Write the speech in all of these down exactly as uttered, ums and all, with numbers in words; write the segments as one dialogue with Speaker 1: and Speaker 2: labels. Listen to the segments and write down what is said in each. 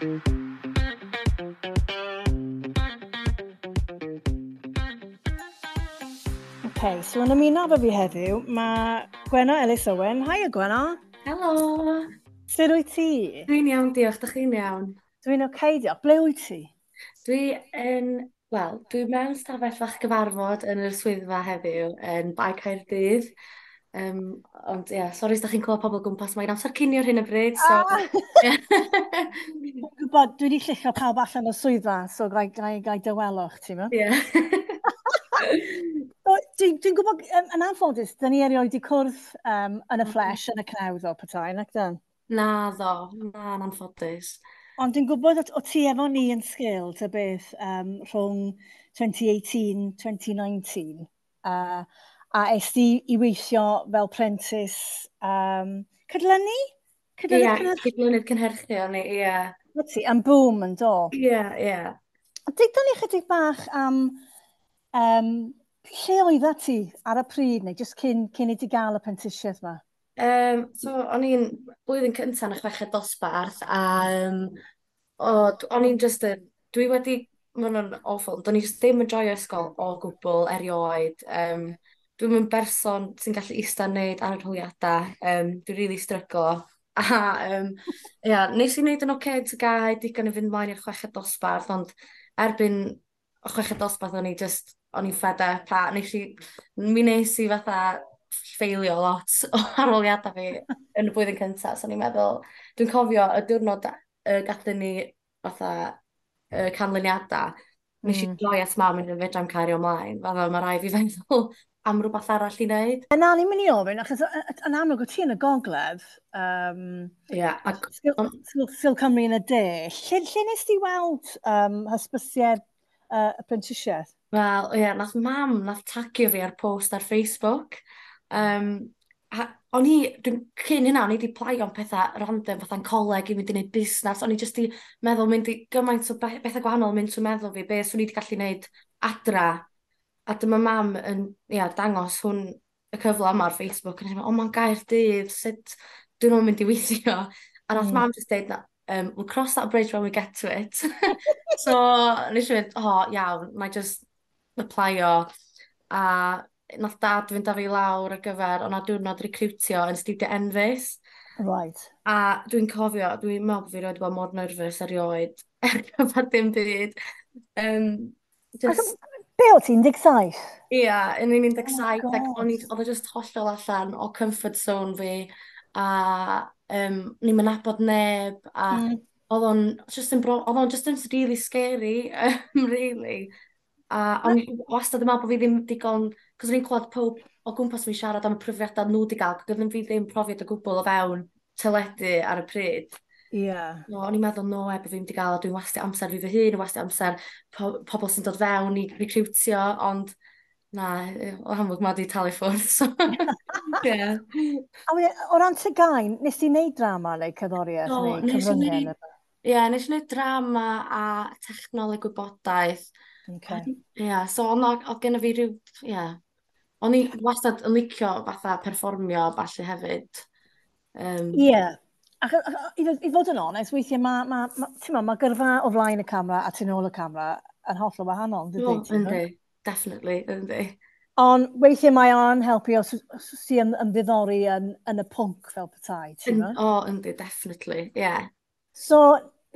Speaker 1: Okay, so yn ymuno efo fi heddiw, mae Gwenno Ellis Owen. Haia, Gwenno.
Speaker 2: Helo.
Speaker 1: Sut wyt ti?
Speaker 2: Dwi'n iawn, diolch. Dych chi'n iawn?
Speaker 1: Dwi'n oce, okay, diolch. Ble wyt ti?
Speaker 2: Dwi yn, wel, dwi mewn stafell fach gyfarfod yn yr swyddfa heddiw yn Bae Caerdydd. Um, ond ie, yeah, sori os da chi'n clywed pobl gwmpas, mae'n amser cinio ar hyn o bryd, so.
Speaker 1: Ah! Dwi'n gwybod, dwi wedi lluchio pawb allan o'r swyddfa, so gai, gai, gai dawelwch, ti'n meddwl?
Speaker 2: Ie.
Speaker 1: Dwi'n dwi gwybod, yn, yn anffodus, dyn ni erioed wedi cwrdd um, yn y flesh, yn y cnawd o petai, nac dyn?
Speaker 2: Na ddo, na, yn anffodus.
Speaker 1: Ond dwi'n gwybod o, o ti efo ni yn sgil, ta beth, um, rhwng twenty eighteen, twenty nineteen, uh, a es di i weithio fel prentis um, cydlynu?
Speaker 2: Cydlynu? Ie, yeah, cydlynydd cynhyrchu o'n i, ie.
Speaker 1: Yeah. Ti, am Boom yn do?
Speaker 2: Ie, yeah, ie. Yeah.
Speaker 1: Deuda ni chydig bach am um, lle oedda ti ar y pryd, neu jyst cyn, cyn i ti gael y prentisiaeth yma?
Speaker 2: Um, so, o'n i'n blwyddyn cyntaf yn y chweched dosbarth, a um, o, o'n i'n just yn, dwi wedi, mae hwnna'n awful, do'n i just ddim yn joio ysgol o gwbl erioed. Um, dwi'n yn berson sy'n gallu eistedd wneud arholiadau, um, dwi'n really stryglo. A um, ia, nes i wneud yn oce okay, T G A U, digon i fynd mlaen i'r chweched dosbarth, ond erbyn y chweched dosbarth o'n i just, o'n i'n fed up, a nes i, mi nes i fatha ffeilio lot o arholiadau fi yn y blwyddyn cyntaf, so o'n i'n meddwl, dwi'n cofio y diwrnod y gathon ni fatha y canlyniadau, nes i mm. droi at mam yn fedra i'm cario ymlaen, fatha mae rhaid fi feddwl am rhywbeth arall i wneud.
Speaker 1: Na, ni'n mynd i ofyn, achos yn amlwg o ti yn y gogledd, um,
Speaker 2: yeah, ac
Speaker 1: Sgil, Sgil Cymru yn y de, lle, lle nes ti weld um, hysbysiad uh, y prentisiaeth?
Speaker 2: Wel, ie, yeah, nath mam, nath tagio fi ar post ar Facebook. Um, a o'n i, dwi'n cyn hynna, o'n i wedi applyio am pethau random, fatha'n coleg i mynd i wneud busnes. O'n i jyst i meddwl mynd i gymaint o bethau gwahanol mynd trwy meddwl fi, be swn i wedi gallu wneud adra. A dyma mam yn, ia, dangos hwn y cyfle yma ar Facebook. A nes i meddwl, "O, mae'n Gaerdydd, sut dwi'n nhw'n mynd i weithio?" A nath mm. mam just deud, um, "We'll cross that bridge when we get to it." So, nes i fynd, "O, oh, iawn, na i just applyo." A nath dad fynd â fi lawr ar gyfer, o'na diwrnod recrwtio yn Studio Enfys.
Speaker 1: Right.
Speaker 2: A dwi'n cofio, dwi'n meddwl bod fi erioed bod mor nervous erioed ar gyfer dim byd. Um,
Speaker 1: just... Be o ti'n, un deg saith?
Speaker 2: Ia, yeah, yn un deg saith, oh, ac o'n i, oedd o just hollol allan o comfort zone fi, a um, ni'n nabod neb, a mm. oedd o'n just yn, oedd o'n just yn really scary, um, really. A o'n i wastad yn meddwl bod fi ddim digon, cos o'n i'n clywed pob o gwmpas fi siarad am y profiadau nhw wedi gael, ac oedd fi ddim profiad o gwbl o fewn teledu ar y pryd.
Speaker 1: Ie. Yeah.
Speaker 2: No, o'n i'n meddwl, no, e, bod fi'n wedi gael, a dwi'n wastio amser fi fy hun, wastio amser po pobl sy'n dod fewn i recrwtio, ond na, o amlwg mae wedi talu ffwrdd, so yeah.
Speaker 1: A wedyn, o ran T G A U, nes ti wneud drama neu cerddoriaeth
Speaker 2: Do,
Speaker 1: neu cyfryngau?
Speaker 2: Ie, yeah, nes i wneud drama a technoleg gwybodaeth.
Speaker 1: Okay.
Speaker 2: Ie, yeah, so oedd oedd genna fi rhyw, ie. Yeah. O'n i wastad yn licio fatha perfformio falle hefyd.
Speaker 1: Ie. Um, yeah. Ac, i, i fod yn onest, weithiau mae ma, ma, ma, ma gyrfa o flaen y camera a tu nôl y camera yn hollol wahanol,
Speaker 2: dydy? Oh, yndi, definitely, yndi.
Speaker 1: Ond weithiau mae o'n helpu os, os ti yn ymddiddori yn, yn y pwnc fel petai, ti'n
Speaker 2: O, oh, yndi, definitely, ie. Yeah.
Speaker 1: So,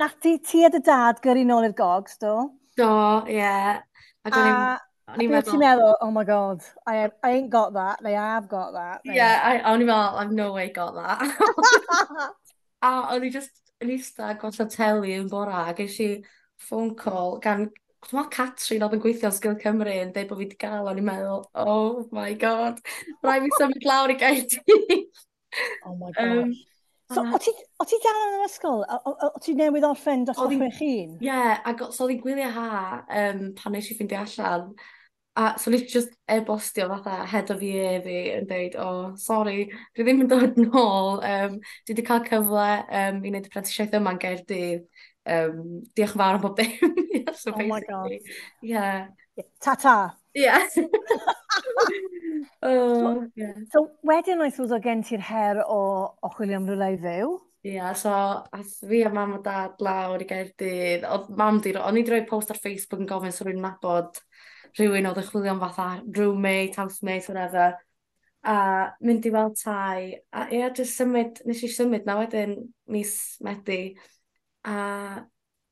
Speaker 1: nath ti, ti a dy dad gyrru nôl i'r gogs, do?
Speaker 2: Do, ie. Yeah.
Speaker 1: Ac o'n i'n O'n i'n meddwl... Ti'n meddwl, "Oh my God, I, I ain't got that," neu "I have got that."
Speaker 2: Neu... Yeah, I, o'n i'n meddwl, "I've no way got that." A o'n i just yn eistedd gwatsiad teli yn bora, a ges i phone call gan, dwi'n meddwl Catrin oedd yn gweithio yn Sgil Cymru yn dweud bod fi wedi gael, o'n i'n meddwl, "Oh my God, rhaid fi symud lawr i Gaerdydd."
Speaker 1: Oh my God. Um, So, o ti, o ti dal yn yr ysgol? O, o, o ti newydd orffen dosbarth chwech un?
Speaker 2: Ie, yeah, ac so oedd hi'n gwyliau ha um, pan nes i ffeindio allan. A so nes i just e-bostio fatha head of year fi yn dweud, "Oh, sorry, dwi ddim yn dod nôl. Um, dwi wedi cael cyfle um, i wneud y prentisiaeth yma yn Gaerdydd. Um, diolch yn fawr am bob dim."
Speaker 1: Yeah, so oh my God.
Speaker 2: Yeah.
Speaker 1: Ta-ta.
Speaker 2: Yeah.
Speaker 1: Oh, yeah. So wedyn, I suppose, o gen ti'r her o, o chwilio am rhywle i fyw?
Speaker 2: Ie, yeah, so ath fi a mam a dad lawr i Gaerdydd. Oedd mam di, o'n i wedi rhoi post ar Facebook yn gofyn so rwy'n nabod rhywun oedd yn chwilio am fatha roommate, housemate, whatever. A mynd i weld tai. A ie, yeah, just symud, nes i symud na wedyn mis Medi. A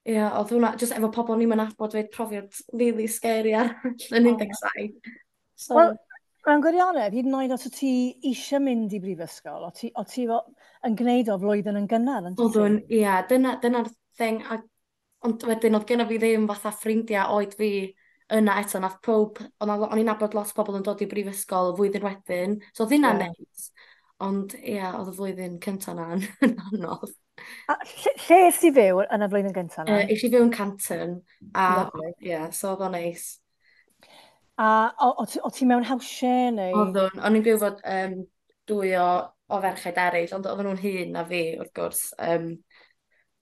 Speaker 2: ie, yeah, oedd hwnna, just efo pobl ni'n nabod fyd profiad really scary arall yn un deg saith. So,
Speaker 1: Wel, mewn gwirionedd, hyd yn oed os o ti eisiau mynd i brifysgol, o ti, o ti yn gwneud o flwyddyn yn gynnar, yn
Speaker 2: Oeddwn, ie, yeah, dyna, dyna'r thing. A, ond wedyn, oedd genna fi ddim fatha ffrindiau oed fi yna eto, nath pob, o'n i'n nabod lot o bobl yn dod i brifysgol y flwyddyn wedyn, so oedd hynna'n yeah. neis. Ond ie, yeah, oedd y flwyddyn cyntaf na'n anodd.
Speaker 1: A lle, lle es i fyw yn y flwyddyn gyntaf
Speaker 2: na? Uh, es i fyw yn Canton, a ie, yeah, so oedd o'n neis.
Speaker 1: A o, o, o ti mewn house share neu?
Speaker 2: Oeddwn, o'n i'n byw fod um, dwy o, o ferched eraill, ond oedden nhw'n hŷn na fi, wrth gwrs. Um,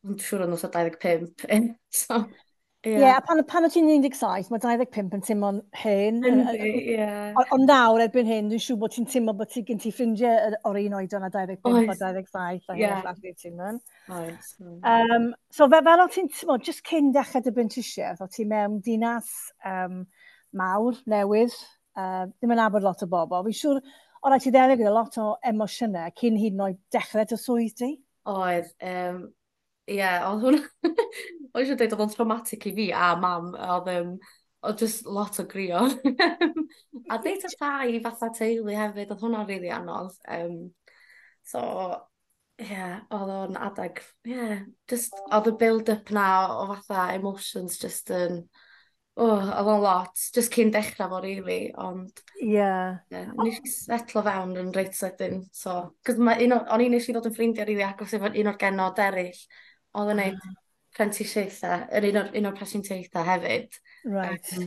Speaker 2: ond siŵr o'n nhw'n dau ddeg pump. So,
Speaker 1: ie. Yeah. Yeah, a pan, pan o ti'n un deg saith, mae dau ddeg pump yn teimlo'n hŷn.
Speaker 2: Yndi, ie.
Speaker 1: Ond nawr, erbyn hyn, dwi'n siŵr bod ti'n teimlo bod ti gen ti ffrindiau o'r un oedran a dau ddeg pump a dau ddeg saith a hyn a llall ti'n mynd.
Speaker 2: Oes.
Speaker 1: Um, so fe, fel o ti'n, ti'n just cyn dechrau dy brentisiaeth, o ti mewn dinas um, mawr, newydd, uh, ddim yn nabod lot o bobl. Fi'n siŵr, o rhaid ti ddelio gyda lot o emosiynau cyn hyd yn oed dechrau dy swydd di?
Speaker 2: Oedd, um, ie, yeah, oedd hwnna, o'n eisiau dweud oedd o'n traumatic i fi a mam, oedd, um, oedd just lot o grio. A deud y llai fatha teulu hefyd, oedd hwnna'n really anodd. Um, so, ie, yeah, oedd o'n adeg, ie, yeah, just, oedd y build-up na o fatha emotions just yn, oh, oedd o'n lot, just cyn dechrau fo, really, ond...
Speaker 1: Ie. Yeah.
Speaker 2: Yeah, nes i setlo fewn yn reit sydyn, so... Cos ma un o, o'n i nes i ddod yn ffrindiau rili agos efo un o'r genod eraill, oedd yn neud prentisiaethau, yr un o'r, un o'r prentisiaethau hefyd.
Speaker 1: Right.
Speaker 2: Um,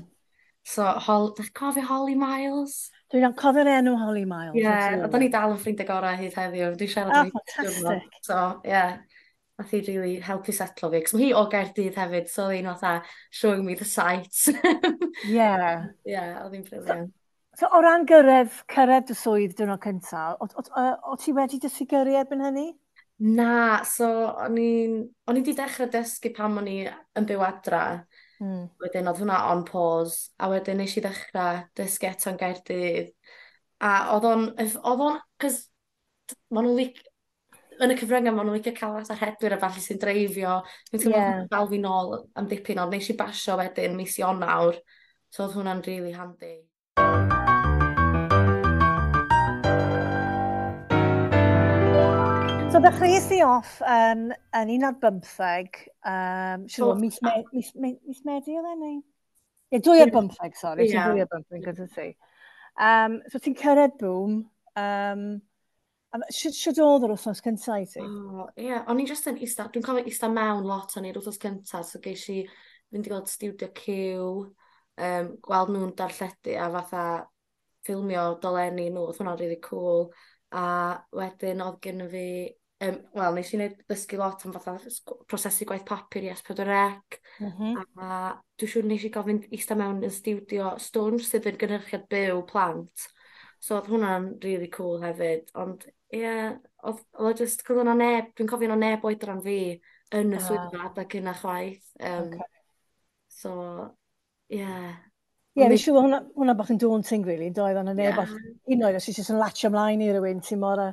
Speaker 2: so, Hol, dych cofio Holly Miles?
Speaker 1: Dwi'n cofio'r enw Holly Miles.
Speaker 2: Ie, yeah, oedd ni dal yn ffrindiau gorau hyd heddiw, dwi'n siarad
Speaker 1: oh, fantastic.
Speaker 2: So, ie. Yeah. Nath hi really helpu setlo fi, cos mae hi o Gaerdydd hefyd, so oedd hi'n fatha showing me the sights.
Speaker 1: Yeah.
Speaker 2: Yeah, oedd hi'n brilliant.
Speaker 1: So, so o ran gyrraedd, cyrraedd dy swydd diwrnod cyntaf, o, o, o, o ti wedi dysgu gyrru erbyn hynny?
Speaker 2: Na, so o'n i'n o'n i wedi dechrau dysgu pan o'n i yn byw adra.
Speaker 1: Mm.
Speaker 2: Wedyn oedd hwnna on pause, a wedyn nes i ddechrau dysgu eto yn Gaerdydd. A oedd o'n, oedd o'n, cos maen nhw'n lic, yn y cyfryngau, maen nhw'n licio cael fatha rhedwyr a falle sy'n dreifio. Dwi'n teimlo
Speaker 1: yeah.
Speaker 2: dal fi nôl am dipyn, ond nes i basio wedyn mis Ionawr, so oedd hwnna'n really handy.
Speaker 1: So ddechreuais i off um, yn un ar bymtheg, um, siŵr o, mis, me, mis, me, mis Medi oedd e, neu? Ie, dwy ar bymtheg, sori, yeah. Dwy ar bymtheg gyda ti. Um, so ti'n cyrraedd Boom, um, Sut oedd yr wythnos cyntaf i ti?
Speaker 2: Oh, ie, yeah. O'n i just yn ista, dwi'n cofio ista mewn lot o'n i'r wythnos cyntaf, so geis i fynd i gweld Studio Q, um, gweld nhw'n darlledu a fatha ffilmio dolenni nhw, oedd hwnna'n really cool. A wedyn oedd gen fi, um, wel, nes i wneud ddysgu lot am fatha prosesu gwaith papur i S pedwar C.
Speaker 1: Mm -hmm.
Speaker 2: A dwi'n siŵr nes i gofyn ista mewn yn stiwdio Stwnsh sydd yn gynhyrchiad byw plant. So oedd hwnna'n really cool hefyd, ond ie, yeah, oedd oedd just, cos o'na neb, dwi'n cofio o'na neb oedran fi yn y swyddfa adeg yna chwaith. Um,
Speaker 1: okay.
Speaker 2: So, ie. Yeah.
Speaker 1: Ie, yeah, fi'n siŵr hwnna, hwnna bach yn daunting, really, doedd, o'na neb,
Speaker 2: Yeah.
Speaker 1: un oed os ti'n just yn latio ymlaen i rywun, ti'n mor,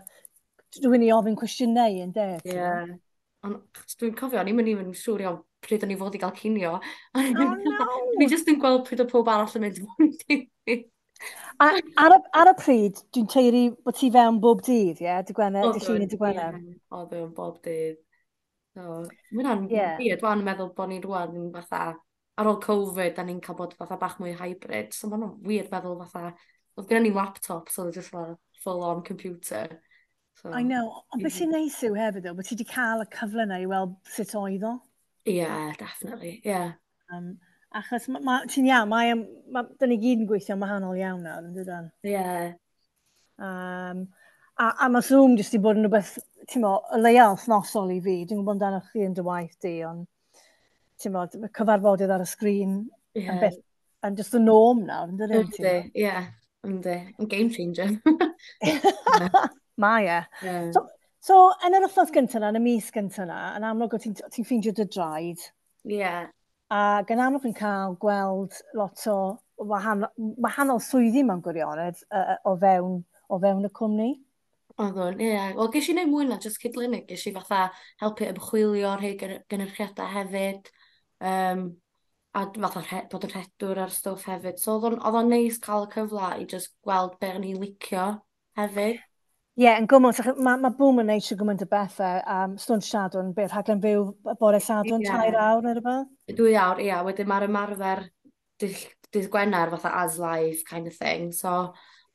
Speaker 1: rhywun i ofyn cwestiynau yn de.
Speaker 2: Ie. Yeah. Ond dwi'n cofio, o'n i'm yn even siŵr iawn pryd o'n i fod i gael cinio.
Speaker 1: Oh, no!
Speaker 2: O'n i just yn gweld pryd o pob arall yn mynd i fi.
Speaker 1: A ar y, ar y pryd, dwi'n teiri bod ti fewn bob dydd, ie? Dy Gwener, dy Llun i dy Gwener.
Speaker 2: Oedd o'n bob dydd. So, mae hwnna'n
Speaker 1: Ie.
Speaker 2: weird, wan yn meddwl bod ni'n rwan yn fatha, ar ôl Covid, da ni'n cael bod fatha bach mwy hybrid. So mae'n weird meddwl fatha, oedd gen ni laptop, so oedd just fatha full on computer. So,
Speaker 1: I know, ond beth sy'n neis yw hefyd, though, bod ti wedi cael y cyfle yna i weld sut oedd o.
Speaker 2: Yeah, definitely, yeah.
Speaker 1: Um, achos ma, ma, ti'n iawn, mae, ma, dyn ni gyd yn gweithio'n wahanol iawn nawr, yn dydan?
Speaker 2: Yeah.
Speaker 1: Um, a, a mae Zoom jyst i bod yn rhywbeth, ti'n mo, y leia wythnosol i fi. Dwi'n gwybod amdano chi yn dy waith di, ond ti'n mo, cyfarfodydd ar y sgrin
Speaker 2: yeah.
Speaker 1: yn beth, yn just the norm nawr, yn dydyn?
Speaker 2: Yndi, ie, yndi. Yn game changer.
Speaker 1: Mae e.
Speaker 2: Yeah.
Speaker 1: So, So, yn yr wythnos gyntaf yna, yn y mis gyntaf yna, yn amlwg o ti'n ti ffeindio dy draed.
Speaker 2: Ie. Yeah.
Speaker 1: A gan amlwg yn cael gweld lot o wahanol, wahanol swyddi mewn gwirionedd uh, o, fewn, o fewn y cwmni.
Speaker 2: Oeddwn, ie. Yeah. Wel, ges i wneud mwy na just cydlynu. Ges i fatha helpu ymchwilio rhai gynyrchiadau hefyd. Um, a fatha rhe, bod yn rhedwr ar stwff hefyd. So oedd o'n neis cael y cyfle i just gweld be o'n i'n licio hefyd.
Speaker 1: Ie, yeah, yn gwmws. Mae ma Boom yn neud siw gymaint o bethau. Um, Stwnsh Sadwrn, beth, rhaglen fyw bore Sadwrn, yeah. tair awr neu rhywbeth?
Speaker 2: Dwy awr, ia. Yeah. Wedyn mae'r ymarfer dydd, dydd Gwener fatha as live kind of thing. So,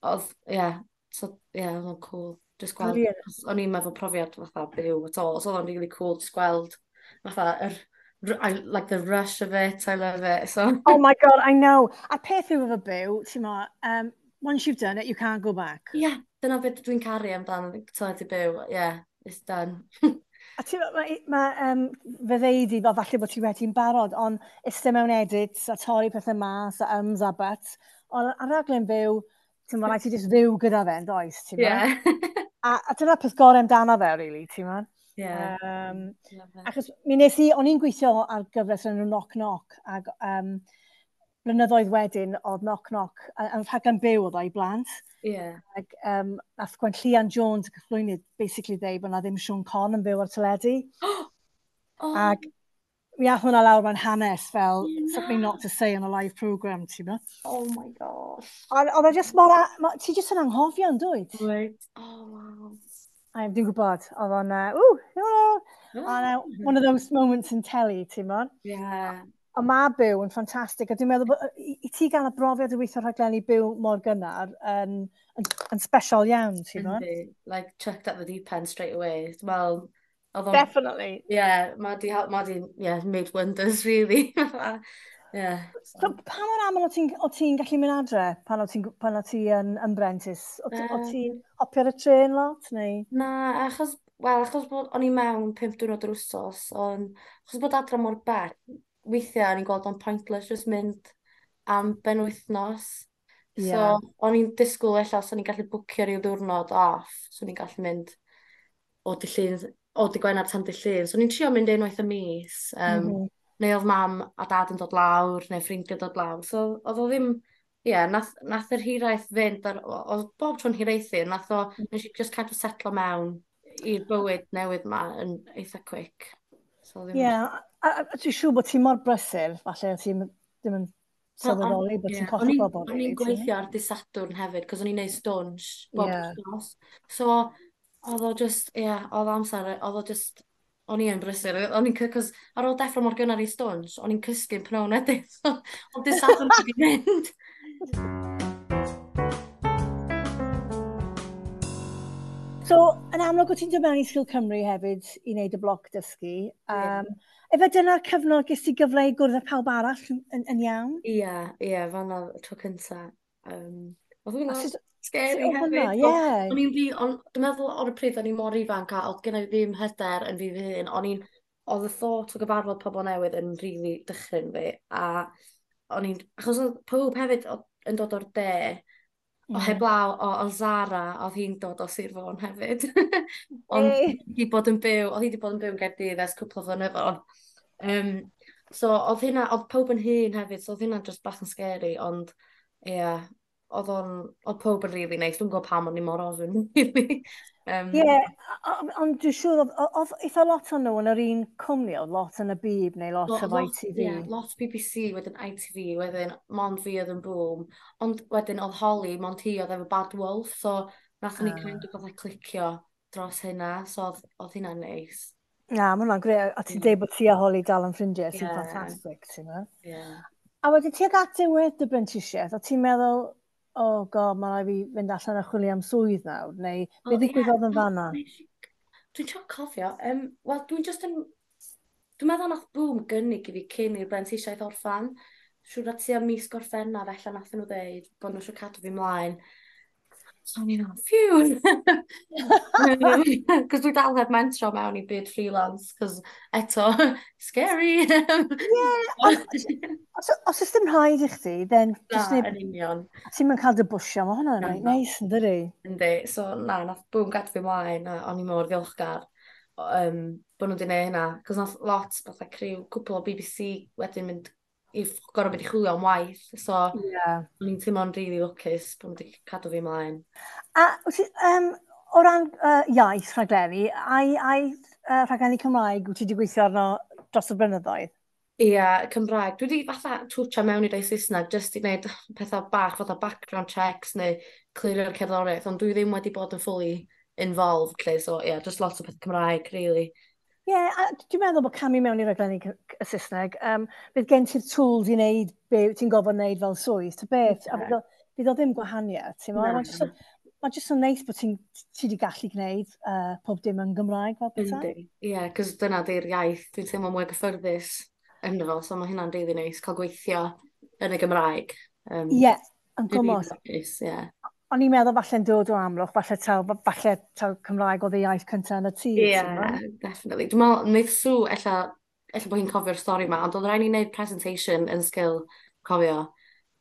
Speaker 2: oedd, ie, yeah, so, yeah, oedd o'n cool. Just gweld, o'n i'n meddwl profiad fatha byw at all. So oedd o'n really cool just gweld fatha yr, I, like the rush of it, I love it. So.
Speaker 1: Oh my God, I know. A peth yw efo byw, ti'n mo, um, once you've done it, you can't go back.
Speaker 2: Yeah, dyna beth dwi'n caru amdano teledu byw. Yeah, it's done.
Speaker 1: A ti, mae, ma, um, fe ddeud i, fel falle bod ti wedi'n barod, ond iste mewn edits a torri pethau mas a ums a buts. Ond ar raglen byw, ti'n mo, rhaid ti just fyw gyda fe, yn does, ti'n mo?
Speaker 2: Yeah.
Speaker 1: A, a dyna peth gorau amdano fe, really, ti'n mo?
Speaker 2: Yeah.
Speaker 1: Um, achos mi nes i, o'n i'n gweithio ar gyfres yn enw Knock Knock, ac um, blynyddoedd wedyn oedd Knock Knock, yn rhaglen byw oedd o i blant.
Speaker 2: Yeah.
Speaker 1: Ac um, nath Gwenllian Jones, y cyflwynydd, basically dweud bod na ddim Siôn Corn yn byw ar teledu.
Speaker 2: Oh.
Speaker 1: Ac mi ath hwnna lawr mewn hanes fel
Speaker 2: Na.
Speaker 1: something not to say on a live programme, ti'n mo?
Speaker 2: Oh my gosh.
Speaker 1: Ond oedd e just mor... a- Ti jyst yn anghofio yn dwyt?
Speaker 2: Right. Oh, wow.
Speaker 1: A dwi'n gwybod, oedd o'n... Uh, ww, hello! And, uh, one of those moments in telly, ti'n mo?
Speaker 2: Yeah.
Speaker 1: Ond mae byw yn ffantastig, a dwi'n meddwl bod i, i ti gael y brofiad o weithio rhaglenni byw mor gynnar yn, yn, yn special iawn, ti'n mo?
Speaker 2: Yndi. Like, chucked at the deep end straight away. Well, oedd o'n...
Speaker 1: Definitely.
Speaker 2: Yeah, mae di, ma di, yeah, made wonders, really. Yeah.
Speaker 1: So, pa mor aml o ti'n o ti'n gallu mynd adre pan o ti'n pan o ti yn, yn brentis? O, ti- o
Speaker 2: Yym.
Speaker 1: ti'n hopio ar y trên lot, neu?
Speaker 2: Na, achos, wel, achos bod o'n i mewn pump diwrnod yr wsos, ond achos bod adra mor bell, weithiau o'n i'n gweld o'n pointless just mynd am benwythnos.
Speaker 1: Ie.
Speaker 2: So, o'n i'n disgwyl ella os o'n i'n gallu bwcio ryw ddiwrnod off, so o'n i'n gallu mynd o dydd Llun, o dydd Gwener tan dydd Llun. So o'n i'n trio mynd unwaith y mis. Um,
Speaker 1: Mm -hmm.
Speaker 2: Neu oedd mam a dad yn dod lawr, neu ffrindiau dod lawr. So oedd o ddim, ie, yeah, nath, nath yr hiraeth fynd, ar, oedd bob tro'n hiraethu, nath o, nes i just kind of setlo mewn i'r bywyd newydd ma yn eitha quick. So ddim
Speaker 1: Ie, a, a, a dwi'n siŵr bod ti mor brysur, falle ti'n ddim yn sylweddoli bod ti'n
Speaker 2: Ie,
Speaker 1: colli
Speaker 2: o'n i'n
Speaker 1: bobl,
Speaker 2: o'n i'n
Speaker 1: really, ti'n
Speaker 2: gweithio ar dydd Sadwrn hefyd, cos o'n i'n neud stwnsh bob
Speaker 1: Ie.
Speaker 2: wythnos. So, oedd o just, ie, yeah, oedd amser, oedd o just, o'n i yn brysur. O'n i'n, cos ar ôl deffro mor gynnar i stwnsh, o'n i'n cysgu'n pnawn wedyn. So, oedd dydd Sadwrn wedi mynd.
Speaker 1: So, yn amlwg, o ti'n dod mewn i Sgil Cymru hefyd i wneud y bloc dysgu. Um, Efe dyna'r cyfnod ges ti gyfle i gwrdd â pawb arall yn, yn, yn iawn?
Speaker 2: Ie, ie, fan'na y tro cynta. Um, oedd
Speaker 1: A
Speaker 2: hwnna
Speaker 1: sut,
Speaker 2: scary
Speaker 1: sut oedd hwnna?
Speaker 2: hefyd.
Speaker 1: Ie.
Speaker 2: O'n i'n fi, on, dwi'n meddwl o'r pryd o'n i mor ifanc a oedd gen i ddim hyder yn fi fy hun. O'n i'n, oedd y thought o gyfarfod pobl newydd yn really dychryn fi. A o'n i'n, achos oedd pawb hefyd o- yn dod o'r de, o
Speaker 1: Mm.
Speaker 2: heblaw o, o Zara, oedd hi'n dod o Sir Fôn hefyd. Ond
Speaker 1: Ei.
Speaker 2: hi wedi bod yn byw, oedd hi wedi bod yn byw yn Gaerdydd ers cwpl o flynyddoedd. Um, so oedd hynna, oedd pawb yn hŷn hefyd, so oedd hynna just bach yn scary, ond ie, yeah, oedd o'n, oedd pawb yn really nice. Dwi'n gwybod pam o'n i mor ofn, really. Um,
Speaker 1: Ie, ond dwi'n siŵr, oedd oedd eitha lot o'n nhw yn yr un cwmni, oedd lot yn y Bib neu lot
Speaker 2: Lot,
Speaker 1: o
Speaker 2: lot,
Speaker 1: I T V.
Speaker 2: yeah, lot B B C, wedyn I T V, wedyn mond fi oedd yn Boom. Ond wedyn oedd Holly, mond hi oedd efo Bad Wolf, so nathon ni
Speaker 1: Ah.
Speaker 2: kind of fatha clicio dros hynna, so oedd, oedd hynna'n neis.
Speaker 1: Na, mae hwnna'n grêt. A ti'n
Speaker 2: Mm.
Speaker 1: deud bod ti a Holly dal yn ffrindiau, sy'n
Speaker 2: Ie.
Speaker 1: ffantastig, ti'n meddwl?
Speaker 2: Yeah.
Speaker 1: A wedyn ti ag at diwedd dy brentisiaeth, o ti'n meddwl, oh God, mae rhaid fi fynd allan a chwilio am swydd nawr, neu
Speaker 2: O,
Speaker 1: be
Speaker 2: ie,
Speaker 1: ddigwyddodd yn
Speaker 2: na,
Speaker 1: fanna?
Speaker 2: nes i- Dwi'n trio cofio. Um, Wel, dwi'n just yn... Dwi'n meddwl nath Boom gynnig i fi cyn i'r brentisiaeth orffan. Siŵr na tua mis Gorffennaf ella nath nhw ddeud bod nhw eisiau cadw fi mlaen. So o'n i'n meddwl, phew! Cos dwi dal heb mentro mewn i byd freelance, cos eto, scary!
Speaker 1: Ie, os, os oes dim rhaid i chdi, then
Speaker 2: just Na, yn union.
Speaker 1: Ti'n mynd cael dy bwysio, mae hwnna'n reit neis, yn dydi?
Speaker 2: Yndi, so na, nath Boom gadw fi mlaen, a o'n i mor ddiolchgar um, bod nhw wedi gwneud hynna. Cos nath lot, fatha criw, cwpl o B B C wedyn mynd i gorfod mynd i chwilio am waith. So, yeah. o'n i'n teimlo'n really lwcus bod nhw wedi cadw fi ymlaen.
Speaker 1: A um, o ran uh, iaith rhaglenni, ai, ai uh, rhaglenni Cymraeg wyt ti wedi gweithio arno dros y blynyddoedd?
Speaker 2: Ie, yeah, Cymraeg. Dwi wedi fatha twtio mewn i rei Saesneg jyst i wneud pethau bach, fatha background checks neu clirio'r cerddoriaeth, ond dwi ddim wedi bod yn fully involved, lle, so yeah, just lot o pethau Cymraeg, really.
Speaker 1: Ie, yeah, a dwi'n meddwl bod camu mewn i raglenni y Saesneg, um, bydd gen ti'r tools i wneud be ti'n gofod wneud fel swydd, ta beth, yeah. A bydd o, bydd o ddim gwahaniaeth, ti'n meddwl? Mae'n jyst, ma jyst yn neis bod ti'n ti wedi gallu gwneud uh, pob dim yn Gymraeg fel
Speaker 2: pethau. Yndi, ie, yeah, cos dyna di'r iaith, dwi'n teimlo mwy gyffyrddus ynddo fo, so mae hynna'n rili really neis cael gweithio yn y Gymraeg.
Speaker 1: Ie, um, yeah, yn gwmws.
Speaker 2: Ie. Yeah.
Speaker 1: O'n i'n meddwl falle'n dod o Amlwch, falle taw, falle taw Cymraeg oedd y iaith cyntaf yn y tŷ.
Speaker 2: Ie, yeah, definitely. Dwi'n meddwl, wneud Sw, ella, ella bod hi'n cofio'r stori yma, ond oedd rhaid ni wneud presentation yn Sgil, cofio.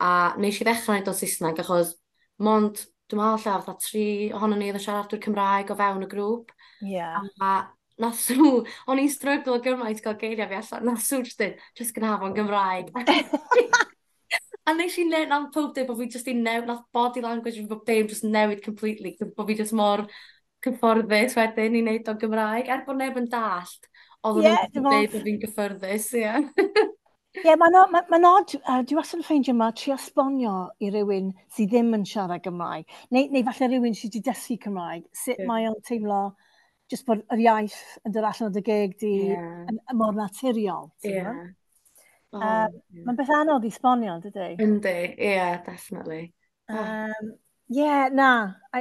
Speaker 2: A nes i ddechrau wneud o'n Saesneg, achos mond, dwi'n meddwl ella, fatha tri ohono ni oedd yn siaradwyr Cymraeg o fewn y grŵp.
Speaker 1: Ie. Yeah.
Speaker 2: A nath Sw, o'n i'n stryglo gymaint gael geiriau fi allan, nath Sw just dweud, "Just gonna have o'n Gymraeg." A nes i newid, nath pob dweud bod fi just i newid, nath body language fi bob dim just newid completely, bod fi just mor cyfforddus wedyn i wneud o'n Gymraeg, er bod neb yn dallt, oedd
Speaker 1: yeah,
Speaker 2: nhw'n dweud bod fi'n gyffyrddus, ie.
Speaker 1: Ie, mae'n ma, ma odd, uh, dwi wastad yn ffeindio ma trio esbonio i rywun sydd ddim yn siarad Gymraeg, neu, neu falle rhywun sydd wedi dysgu Cymraeg, sut yeah. mae o'n teimlo just bod yr iaith yn dod allan o dy geg di yeah. yn, yn mor naturiol.
Speaker 2: Ie. Yeah.
Speaker 1: Oh, um, yeah. Mae'n beth anodd i sbonio, dydy?
Speaker 2: Yndi, ie, yeah, definitely.
Speaker 1: Oh. Um, yeah, na,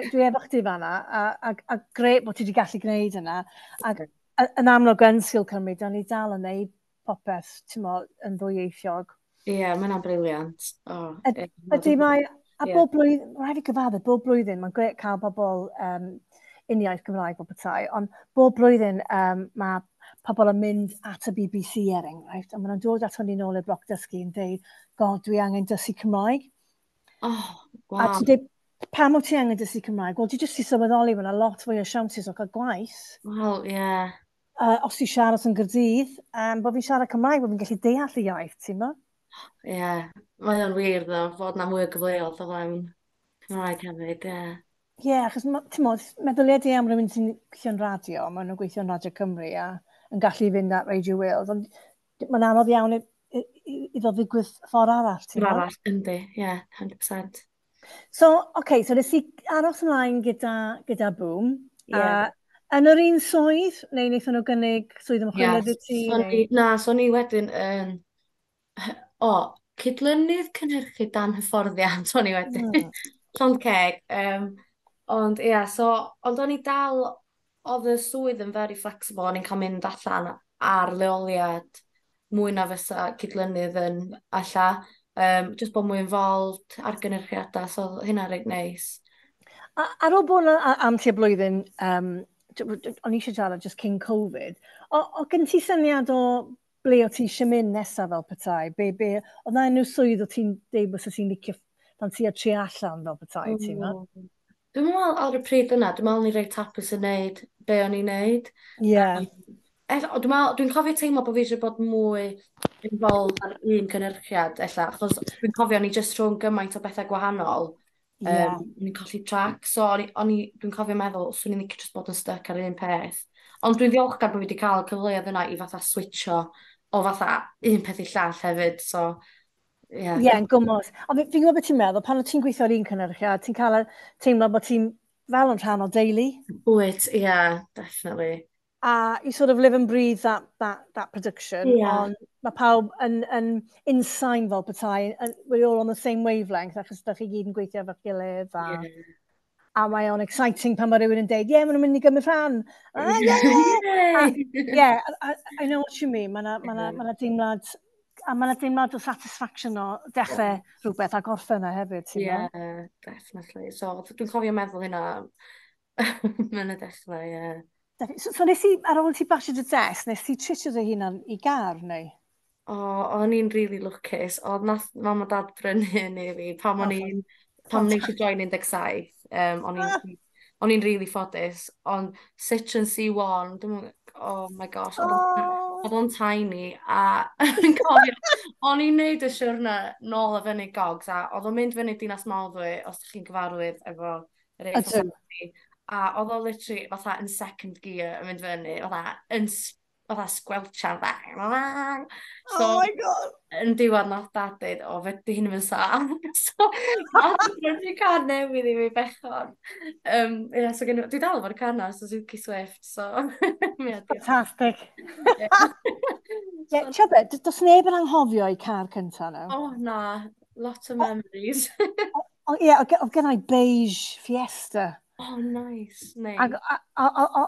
Speaker 1: dwi efo chdi fanna, a, a, a gret bod ti wedi gallu gwneud yna. Ac yn amlwg yn Sgil Cymru, da ni dal yn neud popeth, ti'n mo, yn ddwyieithiog.
Speaker 2: Ie, yeah, mae hwnna'n brilliant. Oh,
Speaker 1: Ydy, mae, a yeah. bob blwyddyn, rhaid fi gyfadde, bob blwyddyn, mae'n gret cael bobl um, uniaith Gymraeg o petai, ond bob blwyddyn um, mae pobl yn mynd at y B B C er enghraifft, a maen nhw'n dod ato ni nôl i'r bloc dysgu yn dweud, "God, dwi angen dysgu Cymraeg."
Speaker 2: Oh, wow.
Speaker 1: A ti'n dweud, "Pam wyt ti angen dysgu Cymraeg?" "Wel, dwi jyst i sylweddoli mae yna lot fwy o siawnsys o cael gwaith."
Speaker 2: Wel, ie. Yeah.
Speaker 1: Uh, os ti siarad yn Gaerdydd, um, bod fi'n siarad Cymraeg, bod fi'n gallu deall y iaith, ti'n mo?
Speaker 2: Ie, yeah. Mae o'n wir, ddo, fod na mwy o gyfleoedd o fewn Cymraeg hefyd, ie. Yeah.
Speaker 1: Ie, yeah, achos, ti'n mo, meddyliau di am rhywun sy'n gweithio'n radio, maen nhw'n gweithio'n Radio Cymru a yn gallu fynd at Radio Wales, ond mae'n anodd iawn iddo ddigwydd ffordd arall,
Speaker 2: ti'n Ffordd arall, yndi, ie, yeah, cant y cant.
Speaker 1: So, oce, okay, so nes i aros ymlaen gyda, gyda Boom. Yeah. A yn yr un swydd, neu wnaethon nhw gynnig swydd ymchwiliad
Speaker 2: i ti? So ni, na, so ni wedyn yn... O, cydlynydd cynhyrchu dan hyfforddiant o'n i wedyn. Mm. Llond ceg. Um, ond ie, yeah, so, ond o'n i dal, oedd y swydd yn very flexible, o'n i'n cael mynd allan ar leoliad mwy na fysa cydlynydd yn alla. Um, just bod mwy involved ar gynhyrchiadau, so hynna reit neis.
Speaker 1: A, ar ôl bod am tua blwyddyn, um, o'n i eisiau siarad just cyn Covid, o, o gen ti syniad o ble o ti eisiau mynd nesaf fel petai? Be, be, oedd na unrhyw swydd o ti'n deud bod ti'n licio pan ti a tri allan fel petai, mm. ti'n meddwl?
Speaker 2: Dwi'n meddwl ar y pryd yna, dwi'n meddwl ni reit hapus yn neud be o'n i'n neud.
Speaker 1: Ie. Yeah. Um,
Speaker 2: dwi'n meddwl, dwi'n cofio teimlo bod fi eisiau bod mwy involved ar un cynhyrchiad, ella, achos dwi'n cofio o'n i just rhwng gymaint o bethau gwahanol.
Speaker 1: Yeah.
Speaker 2: Um, o'n i'n colli track, so o'n i, dwi'n cofio meddwl, swn i'n licio just bod yn stuck ar un peth. Ond dwi'n ddiolchgar bod fi wedi cael y cyfleoedd yna i fatha switcho o fatha un peth i llall hefyd, so
Speaker 1: Ie, yeah. yeah, yn gwmws. Ond fi'n gwybod beth ti'n meddwl, pan o ti'n gweithio ar un cynhyrchiad, ti'n cael teimlo bod ti'n fel yn rhan o deulu.
Speaker 2: Wyt, ie, yeah, definitely.
Speaker 1: A you sort of live and breathe that, that, that production.
Speaker 2: Yeah.
Speaker 1: Ond mae pawb yn, yn unsain fel petai, and we're all on the same wavelength, achos da chi gyd yn gweithio efo'ch gilydd. A,
Speaker 2: yeah.
Speaker 1: A mae o'n exciting pan mae rhywun yn deud, "Ie, yeah, maen nhw'n mynd i gymryd rhan." Ah, yeah! A, yeah, I, I know what you mean. Mae yna ma ma ma deimlad A mae yna deimlad o satisfaction o dechrau yeah. rhywbeth a gorffen yna hefyd, ti'n
Speaker 2: Yeah, definitely. So, dwi'n cofio meddwl hynna yn y dechrau, ie. Yeah.
Speaker 1: So, so nes i, ar ôl ti basio dy test, nes ti treatio dy hunan i gar, neu?
Speaker 2: O, o'n i'n really lwcus. Oedd nath mam a dad brynu hyn i fi pam o'n i'n pam nes i join un deg saith. Um, o'n i'n ah. o'n i'n really ffodus, ond Citroen C un, dwi'n, oh my gosh, oedd oh. o'n tiny, a yn cofio, o'n i'n neud y siwrna nôl a fyny Gogs, a oedd o'n mynd fyny Dinas Mawddwy, os ydych chi'n gyfarwydd efo yr A oedd o literally fatha yn second gear yn mynd fyny, fatha yn fatha squelchan, fatha.
Speaker 1: So, oh my God!
Speaker 2: Yn diwedd nath dad dweud, "O, fe di hyn yn saff." So, nath brynu car newydd i fi, bechod. Um, yeah, so gen, dwi dal efo'r car na, Suzuki Swift, so
Speaker 1: yeah. Fantastic. Yeah, so, be, does neb yn anghofio i car cynta nhw?
Speaker 2: Oh, na. Lot of memories.
Speaker 1: O, ie, oedd gen i beige Fiesta.
Speaker 2: Oh, nice. Nice.
Speaker 1: Ac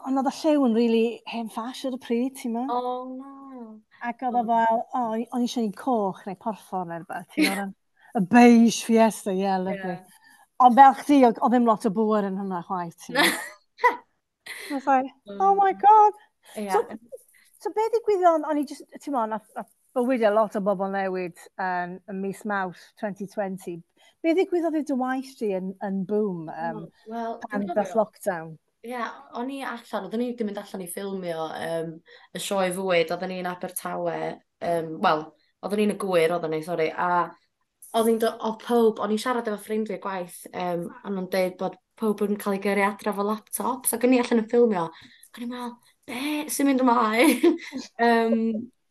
Speaker 1: ond oedd y lliw yn really hen ffash ar y pryd, ti'n meddwl?
Speaker 2: Oh, no.
Speaker 1: Ac oedd o fel, o, o'n i eisiau un coch neu porffor neu rhywbeth, ti'n meddwl? Y beige Fiesta, yeah, lovely. Yeah. Ond fel chdi, oedd ddim lot o bŵer yn hwnna chwaith, ti'n meddwl? I was like, "Oh my God."
Speaker 2: Yeah.
Speaker 1: So, so be ddigwyddodd, o'n i just, ti'n meddwl, nath, nath bywydau lot o bobl newid um, ym mis Mawrth dwy fil a dau ddeg. Be ddigwyddodd i dy waith di yn, yn Boom um,
Speaker 2: well,
Speaker 1: pan ddath lockdown?
Speaker 2: Ie, yeah, o'n i allan, oedden ni wedi mynd allan i ffilmio um, y sioe fwyd, oedden ni'n Abertawe, um, wel, oedden ni'n y Gwyr, oedden ni, sori, a oedd ni'n oedd pob, o'n i'n siarad efo ffrindiau gwaith, um, a nhw'n deud bod pob yn cael ei gyrru adra efo laptops, ac o'n i allan yn ffilmio, ac o'n i'n meddwl, "Be sy'n mynd ymlaen? um,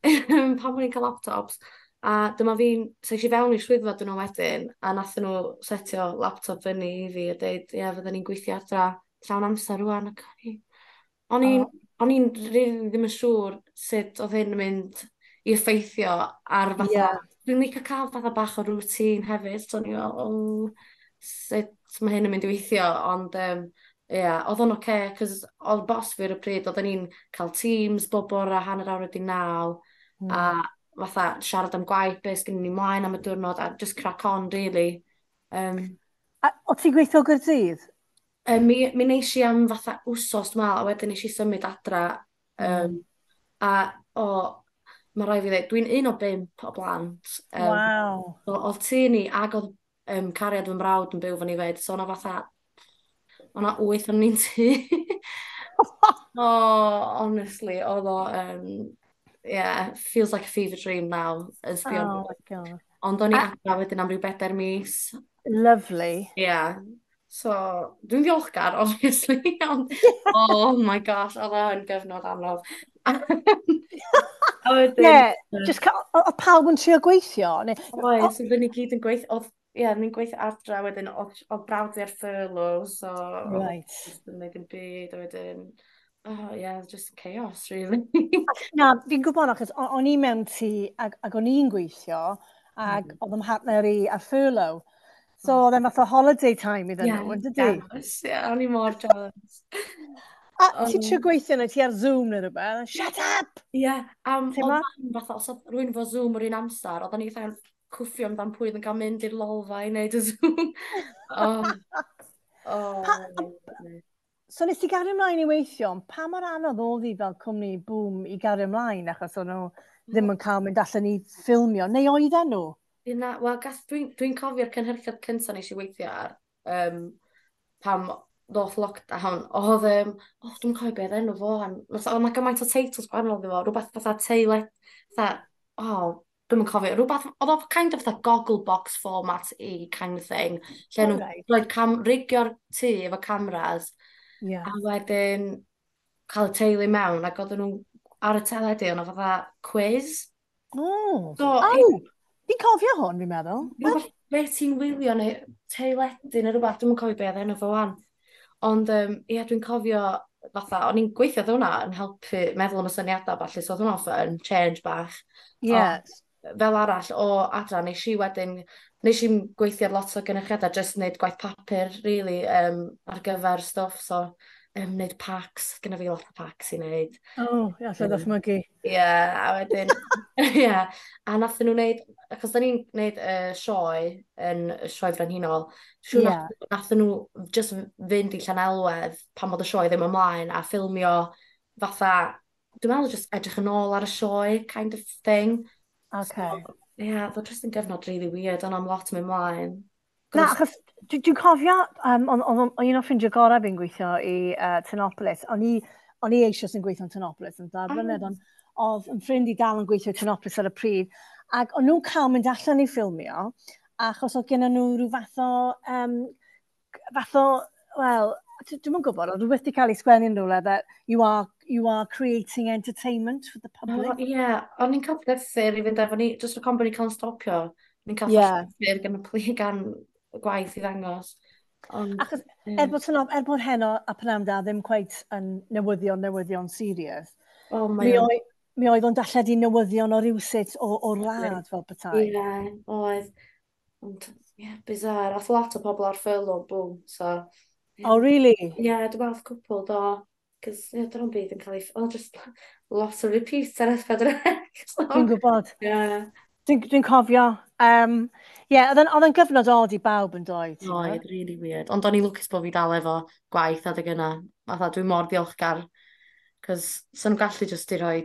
Speaker 2: pam bod ni'n cael laptops?" A dyma fi'n, so es i fewn i'r swyddfa dyn nhw wedyn, a nathon nhw setio laptop fyny i fi a dweud, "Ie, fydden ni'n gweithio adra llawn amser rwan." Ac o'n i, o'n i'n, o'n i'n really ddim yn siŵr sut oedd hyn yn mynd i effeithio ar fatha,
Speaker 1: Yeah.
Speaker 2: Dwi'n licio cael fatha bach o routine hefyd, so o'n i'n fel, "Oh, sut mae hyn yn mynd i weithio?" Ond um, yeah, oedd o'n oce, okay, cos oedd boss fi ar y pryd, oedden ni'n cael Teams bob bore hanner awr wedi naw, mm. a fatha siarad am gwaith, beth sgynnon ni mlaen am y diwrnod, a just crack on, really. Um,
Speaker 1: A o ti'n gweithio o Gaerdydd?
Speaker 2: um, mi, mi wnes i am fatha wsos, dwi'n meddwl, a wedyn nes i symud adra. Um, mm. A, o, mae rhaid fi ddweud, dwi'n un o bump o blant.
Speaker 1: Um, Waw.
Speaker 2: So, oedd tŷ ni, ac oedd um, cariad fy mrawd yn byw fan i fed, so o'na fatha, o'na wyth o'n ni'n tŷ. Oh, honestly, oedd o, um, yeah, feels like a fever dream now. Yn sbio.
Speaker 1: Oh my God.
Speaker 2: Ond o'n i adra wedyn am ryw bedair mis.
Speaker 1: Lovely.
Speaker 2: Yeah. So, dwi'n ddiolchgar, obviously, ond, oh my gosh, oedd o'n gyfnod anodd.
Speaker 1: A wedyn yeah, just oedd pawb yn trio gweithio? Neu
Speaker 2: Oes, oedden ni gyd yn gweithio, oedd, ie, yeah, ni'n gweithio adra, wedyn, oedd, oedd brawd fi ar furlough, so
Speaker 1: Right.
Speaker 2: Just yn neud yn byd, a wedyn, oh yeah, just chaos, really.
Speaker 1: Na, fi'n gwybod, achos o'n i mewn tŷ ac, ac o'n i'n gweithio, ac mm. oedd 'y mhartner i ar furlough. So mm. oedd e'n fath o holiday time iddyn
Speaker 2: yeah,
Speaker 1: nhw, yn dydy?
Speaker 2: Jealous, yeah, o'n i mor jealous.
Speaker 1: A ti'n trio gweithio neu ti ar Zoom neu rhywbeth? "Shut up!"
Speaker 2: Ie, yeah, um, oedd mam fatha, os oedd rhywun efo Zoom yr un amser, oedden ni fatha cwffio amdan pwy oedd yn cael mynd i'r lolfa i wneud y Zoom. oh. Oh,
Speaker 1: pa, so nes ti gario ymlaen i weithio, ond pa mor anodd oedd hi fel cwmni Boom i gario ymlaen, achos o'n nhw ddim yn cael mynd allan i ffilmio, neu oedden nhw?
Speaker 2: Na, wel, dwi'n dwi cofio'r cynhyrchiad cyntaf nes i weithio ar, um, pam ddoth lockdown, oedd, um, oh, dwi'n cofio beth enw fo, oedd yna gymaint o teitls gwahanol iddo fo, rhywbeth fatha teile, fatha, oh, dwi'n yn cofio, rhywbeth, oedd o kind of fatha goggle box format i kind of thing, lle nhw'n
Speaker 1: right.
Speaker 2: rhoi cam, rigio'r tŷ efo cameras,
Speaker 1: yeah.
Speaker 2: a wedyn cael y teulu mewn, ac oedden nhw ar y teledu, oedd fatha quiz.
Speaker 1: Oh, so, oh, fi'n cofio hwn, fi'n meddwl.
Speaker 2: Rhywbeth, beth ti'n wylio neu teledu neu rhywbeth, dwi'n cofio beth enw fo wan. Ond, um, ie, dwi'n cofio fatha, o'n i'n gweithio oedd hwnna yn helpu meddwl am y syniadau falle, so oedd hwnna'n fun, change bach.
Speaker 1: Yeah.
Speaker 2: Ond, fel arall, o adra, nes i wedyn, nes i'n gweithio ar lot o gynyrchiadau, just wneud gwaith papur, really, um, ar gyfer stwff, so um, wneud packs, gyda fi lot o packs i wneud.
Speaker 1: Oh, ie, allai ddychmygu.
Speaker 2: Ie, yeah, a wedyn, Ie, yeah. A nath nhw wneud, achos da ni'n gwneud y uh, sioe yn y Sioe Frenhinol, siŵr yeah. nath, nath nhw just fynd i Llanelwedd pan bod y sioe ddim ymlaen a ffilmio fatha, dwi'n meddwl just edrych yn ôl ar y sioe kind of thing.
Speaker 1: Okay.
Speaker 2: So, ie, yeah, oedd o just yn gyfnod really weird, ond am lot yn mynd mlaen.
Speaker 1: Na, achos dwi'n dwi cofio, um, o'n on, on, un o ffrindiau gorau fi'n gweithio i uh, Tinopolis, o'n i, o'n i eisoes yn gweithio yn Tinopolis yn dair blynedd, ond oedd yn ffrind i dal yn gweithio i Tinopolis ar y pryd, ac o'n nhw'n cael mynd allan i ffilmio, achos oedd gen nhw rhyw fath o, um, fath o, wel, dwi'm yn gwybod, oedd rhywbeth wedi cael ei sgwennu yn rhywle that you are, you are creating entertainment for the public.
Speaker 2: Oh, ie, yeah. O'n i'n cael llythyr i fynd efo ni, just o con bod ni'n cael stopio. Ni'n cael yeah. llythyr gan y pli, gan y gwaith i ddangos.
Speaker 1: Ond, Achos, yeah. er bod, er bod Heno a Pnawn Da ddim quite yn newyddion, newyddion serious,
Speaker 2: oh,
Speaker 1: mi, oedd, mi oedd o'n darlledu newyddion o rywsut o'r wlad fel petai.
Speaker 2: Ie, yeah, oedd. Ond, ie, yeah, bizarre. Ath lot o pobl ar furlough, boom, so.
Speaker 1: Yeah. Oh, really?
Speaker 2: Ie, yeah, dwi'n meddwl cwpl do. Cos, ie, yeah, dyna'n byd yn cael ei. Oh, just lot o repeats ar S pedwar C.
Speaker 1: So, dwi'n gwybod.
Speaker 2: Yeah.
Speaker 1: Dwi'n dwi cofio. Um, yeah, oedd yn gyfnod od i bawb yn dod.
Speaker 2: Oedd, really weird. Ond o'n i lwcus bod fi dal efo gwaith adeg yna. Fatha, dwi'n mor ddiolchgar. Cos, sa'n nhw gallu just i rhoi.